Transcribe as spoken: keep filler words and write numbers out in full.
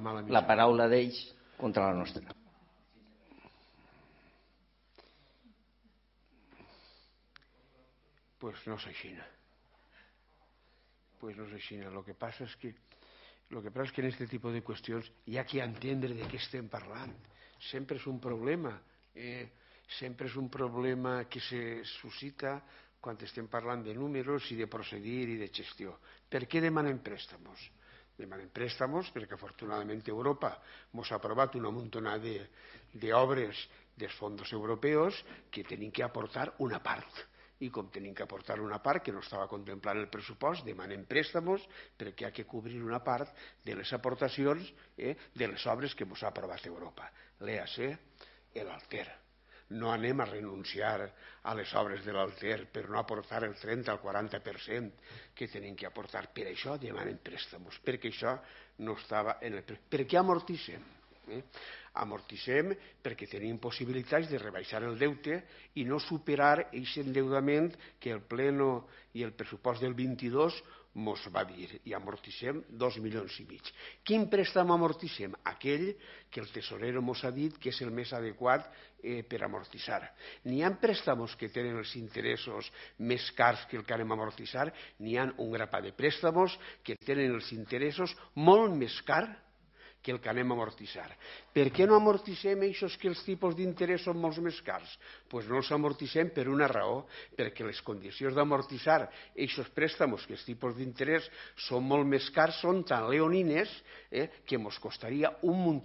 la paraula d'ells contra la nostra. Pues no és així. Pues no és així. Lo que passa és que Lo que pasa es que en este tipo de cuestiones hi ha que entendre de què estem parlant. Sempre és un problema. Eh, sempre és un problema que se suscita quan estem parlant de números i de procedir i de gestió. Per què demanem préstamos? Demanem préstamos perquè afortunadament Europa ens ha aprovat una muntona d'obres dels fons europeus que tenim que aportar una part. I com tenim que aportar una part que no estava contemplant el pressupost, demanem préstamos perquè ha que cobrir una part de les aportacions eh, de les obres que ens ha aprovat Europa. L'E A C, l'Alter. No anem a renunciar a les obres de l'Alter per no aportar el trenta al quaranta per cent que tenim que aportar. Per això demanem préstamos, perquè això no estava en el... Per què amortissem? Eh? Amortissem perquè tenim possibilitats de rebaixar el deute i no superar aquest endeudament que el pleno i el pressupost del vint-i-dos ens va dir, i amortissem dos milions i mig. Quin préstamo amortissem? Aquell que el tesorero ens ha dit que és el més adequat eh, per amortitzar. N'hi ha préstamos que tenen els interessos més cars que el que anem a amortitzar, n'hi ha un grapat de préstamos que tenen els interessos molt més cars que el que anem a amortitzar. Per què no amortissem aquests que els tipus d'interès són molt més cars? Doncs no els amortissem per una raó, perquè les condicions d'amortitzar aquests préstamos que els tipus d'interès són molt més cars són tan leonines eh, que ens costaria un munt